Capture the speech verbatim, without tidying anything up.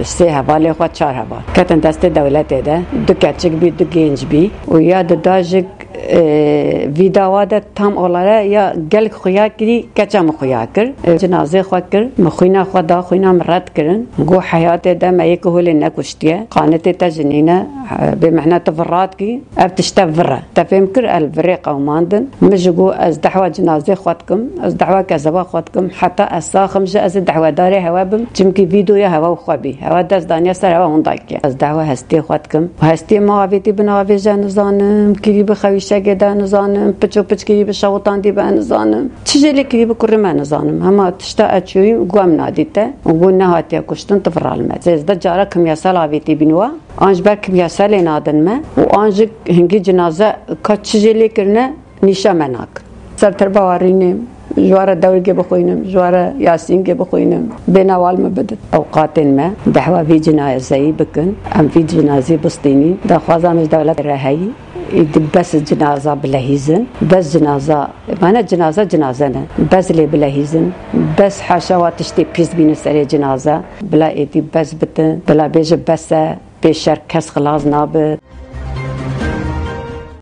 Sê hevalê xwe, çar heval ketin destê dewletê de. Du keçik bî, du genc bî. Û ya di dajik, e, vî dawa de tam olare ya gelek xuya kirî, keça min xuya kir. E, cinazê xwe kir, min xwîna xwe da, xwîna min red kirin. Got, heyatê de me yek holê nekuştiye. Qanetê te ji nîne, e, bê mehnet tu vir radkî. Ev tişte vir e. Te fêm kir, el virê qewmandin. Min ji got, ez dehwa cinazê xwe dikim, ez dehwa kezeba xwe dikim, heta ez sax im ji ez ê dehwedarê hewe bim, çimkî vîdeoya hewe û xwe bî. Hewe dest daniye ser hewe hûn dakiye. Ez dehwa hestiyê xwe dikim. Û hestiyê ma avêtî bi navêje nizanim, kirî bi xewîşegê de nizanim, piç û piç kirî bi şewitandî be nizanim. Çi jê lê kirî bi kurê me nizanim. Hema tişta ez çûyîm, got em nadî te. Û got nehatiye kuştin, tu viral me. Sêzdeh cara kimyasal avêtî bîn wa. An ji ber kimyasalê nadin me û an jî hingî cinaze ka çi jê lê kirine nîşa me nak. Ser terba warînê ji ware dewrgê bixwînim, ji ware Yasîngê bixwînim, bê newal me bidin. Ewqatên me dehwa vî cinazeyî bikin, em vî cinazî bistînîn. Daxwaza me ji dewlet re heyî, îdî bes cinaza bilehîzin, bes cinaza, mane cinaza cinaze ne, bes lê bilehîzin, bes haşa wa tiştê pîs bîne serê cinaza, bila êdî bes bitin, bila bêje bes e, pê şer kes xilas nabe.